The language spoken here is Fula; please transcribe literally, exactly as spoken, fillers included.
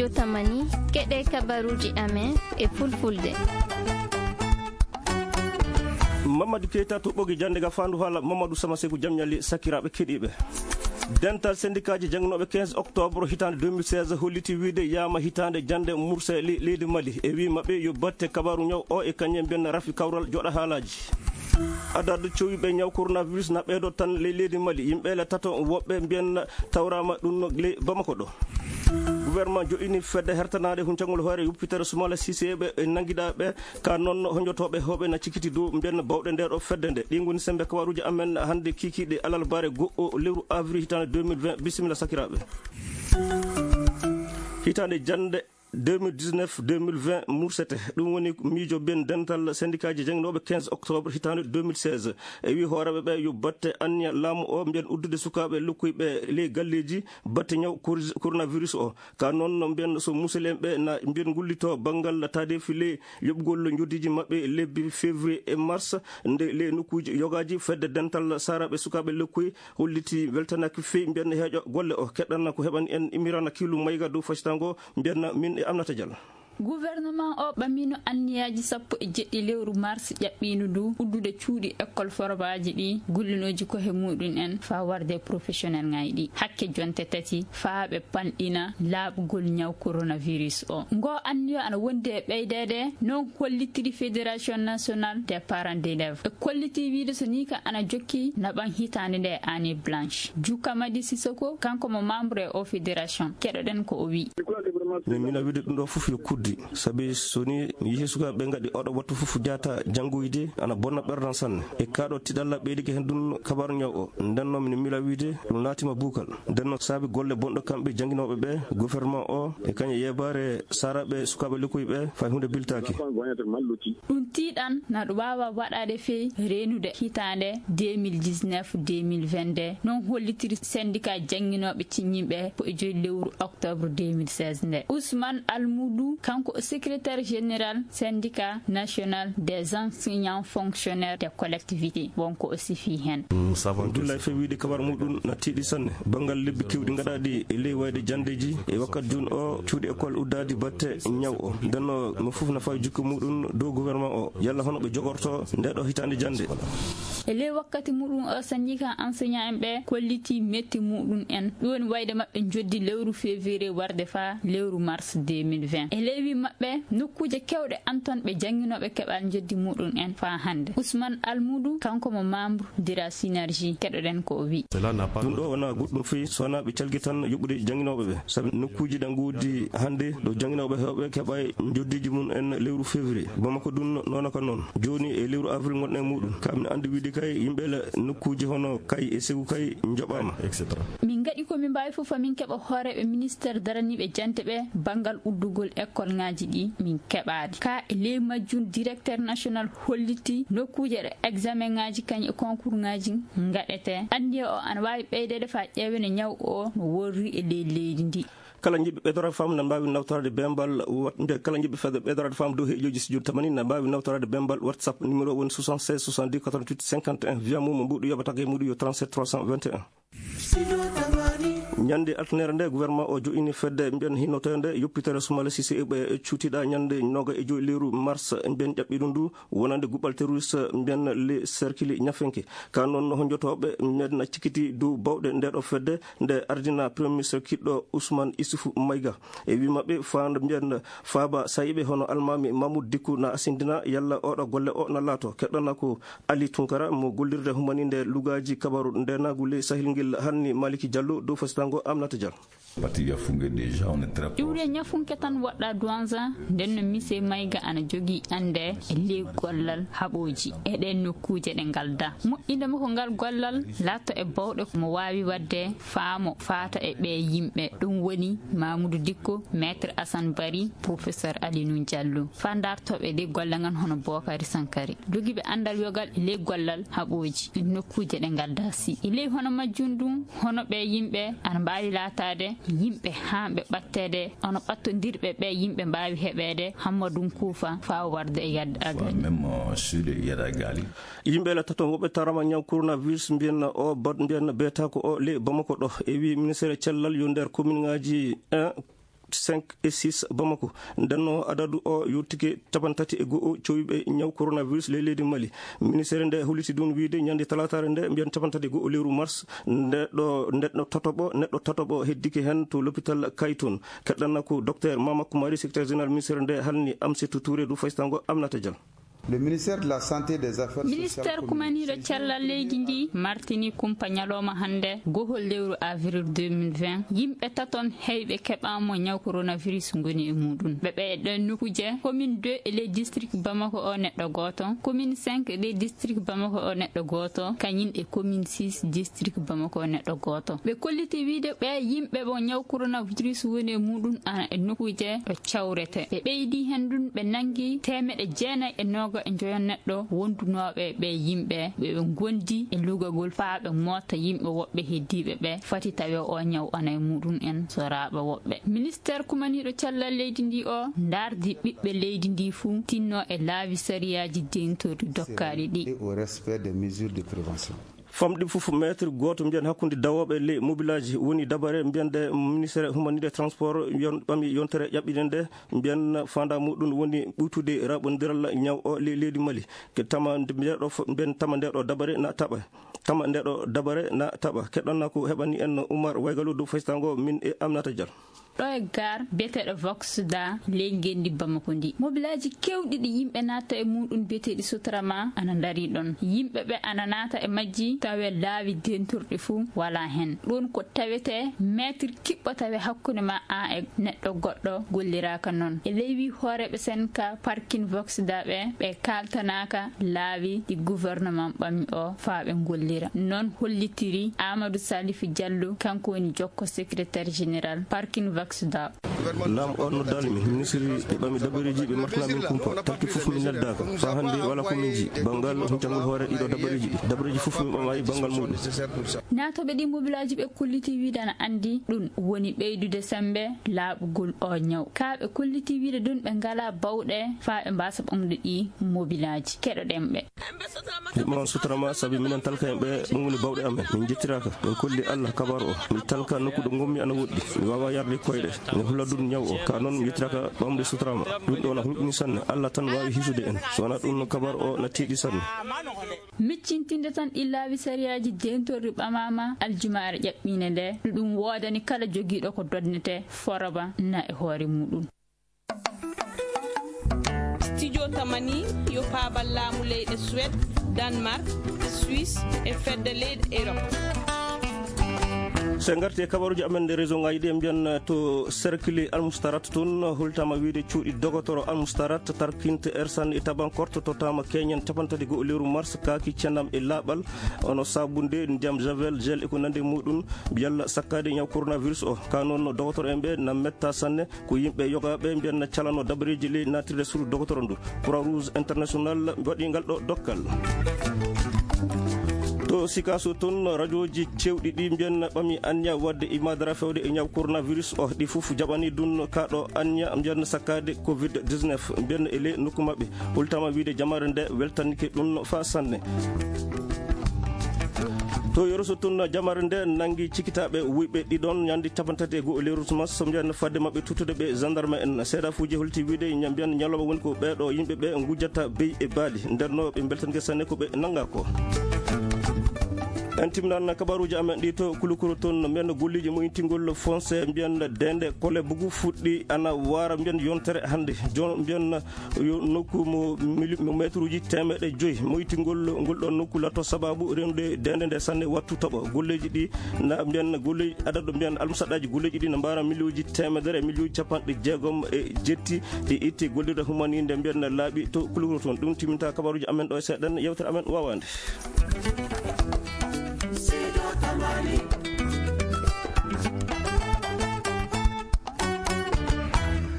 Tamani, keɗe kabaruji amen e fulfulde. Mamadou Keita to ɓogi jande ga fandu hala Mamadou Sama Seku jamñali sakiraɓe keɗiɓe. Dental sendikaji jangnoɓe quinze octobre hitande deux mille seize holliti wiide yama hitande jande murse le-, leydi Mali. E wi maɓɓe yo batte kabaru ñaw o e kañum mbiyen rafi kawral joɗa haalaji. Adadu cowiɓe ñaw coronavirus na ɓeydo tan le-, leydi Mali. Yimɓe le tato woɓɓe mbiyen tawrama ɗum no le Bamako ɗo. Gouvernement joɗɗini fedde hertanaade huncangol hoore yuppitere Sumala Sise ɓe e nanngiɗaaɓe ka noon honjotoɓe hoɓe na cikiti dow mbiyen bawɗe nde ɗo fedde nde. Ɗi ngoni sembe kawaruji amen hannde kikiɗe alal bare go'o lewru avril hitande deux mille vingt. Bisimilla sakiraɓe. Hitande jande deux mille dix-neuf deux mille vingt mursete. Ɗum woni miijo ben dental sendikaji jangnoɓe quinze octobre hitande deux mille seize. E wi hooreɓe ɓe yo batte anniya laamu o mbiyen uddude sukaɓe lokkuyɓe ley galleji batte ñaw coronavirus o. Ka noon no mbiyen so musidɓe ɓe na mbiyen ngullito banngal taade file yoɓgol njoddiji maɓɓe lebbi février e mars nde le nokkuji yogaji fedde dental saraɓe sukaɓe lokkuy holliti weltanaki fewi mbiyen heeƴo golle o keɗɗanna ko heɓani en imirana kilu mayga dow fasitango mbiyen min e amnata dial. Gouvernement o ɓamino anniyaji sappo e jeɗɗi lewru mars ƴaɓɓino ndu uddude cuuɗi école forbaji ɗi gullinoji ko he muɗum en fa warde professionnel ngaji ɗi hakke jonte tati faaɓe panɗina laaɓugol ñaw coronavirus o. Ngo anniyo ana wondi e ɓeydede non kollitiri Fédération Nationale des Parents d'Élèves e kolliti wiide so ni ka ana jokki naɓan hitande nde année blanche. Jukamadi Sisoko kanko mo membre e o fédération keɗoɗen ko o wi. Min mina wiide ɗum ɗo fof yo kuddi. Sabi so ni mi yehi sukaɓe ɓe gaɗi oɗo wattu fof jaata janngoyde ana bonna ɓerdan sanne e kaɗo tiɗalla ɓeydike hen ɗum kabaru ñaw o. Nden noon min mila wiide ɗum laatima buukal. Nden noon saabi golle bonɗo kamɓe jannginoɓe ɓe gouvernement o e kañe yebaare saraɓe sukaɓe lekkoy ɓe fay hunde biltaki. Ɗum tiiɗan na ɗum wawa waɗade fey renude hitande deux mille dix-neuf deux mille vingt-deux non hollitiri syndicat jannginoɓe ciññiɓe ko e joyi lewru octobre deux mille seize nde. Ousmane Almoudou kanko o secrétaire général syndicat national des enseignants fonctionnaires des collectivités wonko o sifi hen. Abdoulaye Faye wiide kabar muɗum na tiiɗi sanne banngal lebbi kewɗi gaɗaɗi e ley wayde jandeji e wakkati joni o cuuɗi école uddadi batte ñaw o ndenno mo fof na fawi jikku muɗum dow gouvernement o yalla hono ɓe jogorto nde ɗo hitande jande. E ley wakkati muɗum o syndicat enseignant en ɓe kolliti metti muɗum en ɗum woni wayde maɓɓe joddi lewru février warde fa lewru mars deux mille vingt e ley wi maɓɓe nokkuje kewɗe anton ɓe jannginoɓe keɓal joddi muɗum en fa hannde. Ousmane Almoudou kanko mo membre de la synergie keɗoɗen ko o wi. Ɗum ɗo wona goɗɗum fii so wona ɓe calgi tan yoɓude jannginoɓe ɓe sabi nokkuji ɗe ngoodi hannde ɗo jannginoɓe hewɓe keɓa joddiji mum en lewru février bamako ɗum noona ko noon. Joni e lewru avril gonɗen e muɗum kamin andi wiide kay yimɓe la nokkuji hono kay e segu kay joɓama. Min gaɗi ko min mbawi fof fa min keɓa hooreɓe ministère daraniɓe jante ɓe banngal uddugol école ngaji ɗi min keɓaɗi ka e ley majjum directeur national holliti nokkuje ɗe examen ngaji kañ e concours ngaji gaɗete anniya o ana wawi ɓeydede fa ƴeewene ñaw o no worri e ley leydi ndi. Kala jiɗɓe ɓeydorade faamu na mbawi nawtorade bembal wat- mbiya kala jiɗɓe fedde ɓeydorade faamu dow heejoji studio tamani na mbawi nawtorade bembal whatsapp numéro woni soixante-seize soixante-dix quatre-vingt-huit cinquante et un via mum mo mbuɗu yoɓata e muɗum yo trente-sept trois cent vingt et un. Ñande altanere nde gouvernement o joini fedde mbiyen hinnotoyde yoppitere sumala sise ɓe cuutiɗa ñande noga e joyi lewru mars mbiyen ƴaɓɓiɗum ndu wonande guɓal terroriste mbiyen le cercle ñafenke. Ka noon honjotoɓe mbiyen na cikkiti dow bawɗe nde ɗo fedde nde ardina premier ministre kiɗɗo ousmane issoufou mayga. E wi maɓɓe fanda mbiyen faaba sayiɓe hono almami mamoud dikku na asindina yalla oɗo golle o na laato keɗɗana ko ali tunkara mo gollirde humaninde lugaji kabaru ndenagu ley sahil ngel hanni maliki diallo dow fasitango amnata dial. Iwre ñafunke tan woɗɗa duwanza nden no mise mayga ana jogii annde e ley gollal haɓooji e ɗeen nokkuuje ɗe ngalda moƴƴinde mo ko ngal gollal laatto e bawɗe mo waawi waɗde faamo faata e ɓee yimɓe ɗum woni mamoudou dikko maître assane bari professeur alinou diallo fa dartooɓe ley golle ngan hono bokari sankari jogiiɓe anndal yogal e ley gollal haɓooji e nokkuuje ɗe ngalda si e ley hono majjum ɗum hono ɓee yimɓe ana mbaawi laataade yimɓe haa ɓe ɓatteede hono ɓattondirɓe ɓee yimɓe mbaawi heɓeede hammadun kuufa faa warde e yadde agani. Yimɓe la tato woɓɓe tarama ñaw coronavirus mbiyen o bad mbiyen beetako o le bamako ɗo e wi ministére cellal yo nder commune ngaji un cinq et six Bamako. Ndenno adadu o yottike cappanɗe tati e go'o cowiiɓe ñaw coronavirus ley leydi Mali. Ministeere nde holliti ɗum wiyde ñande talaataare nde, mbiyen cappanɗe tati e go'o lewru mars, neɗɗo, neɗɗo tataɓo, neɗɗo tataɓo heddike heen to l'hôpital Kayton. Keɗɗanna ko docteur Mama Koumari, secrétaire général ministeere nde, halni Amsetou Touré du faysango Aminata Dial. Le ministère de la Santé et des Affaires Sociales Ministère communique kumaniiɗo cellal leydi ndi martini kumpa ñalawma hannde, gohol lewru avril deux mille vingt, yimɓe taton heyɓe keɓaama ñaw coronavirus ngoni e muɗum. Ɓe ɓe e ɗen nokkuuje, commune deux e ley district Bamako o neɗɗo gooto, commune cinq e ley district Bamako o neɗɗo gooto, kañum e commune six district Bamako o neɗɗo gooto. Ɓe kolliti wiyde ɓe yimɓe ɓo ñaw coronavirus woni e muɗum ana e nokkuuje ɗo cawrete. Ɓe ɓeydi heen ɗum, ɓe nanngi teemeɗɗe jeenayi e nooga e njoyo neɗɗo wondunooɓe ɓe yimɓe ɓe ɓe ngondi e lugagol faa ɓe moota yimɓe woɓɓe heddiiɓe ɓe fati tawe o ñaw ana e muɗum en soraaɓe woɓɓe. Ministère kumaniiɗo cellal leydi ndi o ndaardi ɓiɓɓe leydi ndi fuu tinno e laawi sariyaaji dentorɗi dokkaaɗi ɗi. Et au respect des mesures de prévention. Famɗi fof mètre gooto mbiyen hakkunde dawooɓe ley mobilaaji woni dabare mbiyen ɗe ministère humanitaire transport yon-, ɓami yontere ƴaɓɓiɗen nde mbiyen faanda muɗum woni ɓuytude raɓondiral ñaw o ley leydi Mali. Ke tama nde mbiyeɗo fo-, mbiyen tama ndeɗo dabare na taɓa. Tama ndeɗo dabare na taɓa. Keɗɗonna ko heɓani en Oumar Waygalu dow faysango min e Aminata Dial. Ɗo e gaar biyeteeɗo Vox da ley ngenndi Bamako ndi. Mobilaaji keewɗi ɗi yimɓe naata e muɗum biyeteeɗi Sotrama ana ndarii ɗon. Yimɓe ɓe ana naata e majji tawe laawi dentorɗi fuu walaa heen. Ɗum ko tawetee meetir kiɓɓo tawe hakkunde ma an e neɗɗo goɗɗo golliraaka noon. E ley wii hooreeɓe Senka parking Vox da ɓe, ɓe kaaltanaaka laawi ɗi gouvernement ɓami o faa ɓe ngollira. Noon hollitiri Amadou Salif Diallo, kanko woni jokko secrétaire général parking Vox da. Laam o noddaali mi, ministre ɓe ɓami dabareeji ɓe martana min kumpa. Takki fof mi neldaaka. Faa hannde wala ko min nji. Banngal huncangol hoore ɗiɗo dabareeji ɗi. Dabareeji fof mi ɓamayi banngal muɗum. Naatooɓe ɗi mobilaaji ɓe kolliti wiide ana anndi ɗum woni ɓeydude semmbe laaɓugol o ñaw. Kaa ɓe kolliti wiide ɗum ɓe ngalaa bawɗe faa ɓe mbaasa ɓamde ɗi mobilaaji. Keɗoɗen ɓe. Yimɓe on sutorama sabi minen talka en ɓe ɗum woni bawɗe amen. Min njettiraaka. Min kolli Allah kabar o. Mi talka nokku ɗo ngonmi ana woɗɗi. Mi waawaa yarde koyɗe. Mi holla ɗum ñaw o. Ka noon mi yettiraaka ɓamde sutorama. Ɗum ɗo na hulɓini sanne. Allah tan waawi hisude en. So wonaa ɗum no kabar o na tiiɗi sanne. Miccintinde tan ɗi laawi sariyaaji dentorɗi ɓamaama aljumaare ƴaɓɓiinde nde. Ɗum woodani kala jogiiɗo ko dodnete foroba na e hoore muɗum. Studio Tamani yo paabal laamu leyɗe Suède, Danemark, Suisse e fedde leyɗe Europe. So en ngarti e kabaruuji amen nde réseau ngaji ɗi, en mbiyan to cercle Almustarat toon, holtama wiide cuuɗi dogotoro Almustarat, Tarkinte, Ersan e Tabankort, tottama keñen capanɗe tati go'o lewru mars, kaaki cendam e laaɓal, ono sabunde, ndiyam javel, gel e ko nandi e muɗum, yalla sakkaade ñaw coronavirus o. Ka noon dogotoro en ɓe na metta sanne, ko yimɓe yogaaɓe mbiyan na calano dabareeji ley naatirde suudu dogotoro ndu. Croix Rouge International waɗi ngal ɗo dokkal. To Sikaso toon, rajooji cewɗi ɗi mbiyan ɓami anniya waɗde imadara fewde e ñaw coronavirus o, ɗi fof jaɓani ɗum kaɗo anniya mbiyan sakkaade covid dix-neuf mbiyan e ley nokku maɓɓe. Hultama wiide jamaare nde weltanike ɗum fa sanne. To Yoroso toon, jamaare nde nangi cikitaaɓe wuyɓe ɗiɗon ñande capanɗe tati e go'o lewru mars, so mbiyan fadde maɓɓe tuttude ɓe gendarme en. Seedafuuji holti wiide ña-, mbiyan ñalawma woni ko ɓeeɗo yimɓe ɓe ngujjata beyi e baali. Nder no ɓe mbeltanike sanne ko ɓe nanga ko. En timminan kabaruuji amen ɗi to Kulukuro toon, mbiyan golleeji moyintingol foncé, mbiyan dende kole bugu fuɗɗi ana waara, mbiyan yontere hannde. Jon-, mbiyan yo nokku mo mili-, mo mètre uji teemeɗɗe joyi. Moytingol ngol ɗon nokku latto sababu rendude dende nde sanne wattu toɓo. Golleeji ɗi na mbiyan golleeji adadu mbiyan almusaɗaji golleeji ɗi na mbaara miliyonji teemedere e miliyonji capanɗe jeegom e jetti ɗi itti gollirde humaninde mbiyan laaɓi to Kulukuro toon. Ɗum timminta kabaruuji amen ɗo e seeɗan yewtere amen waawande.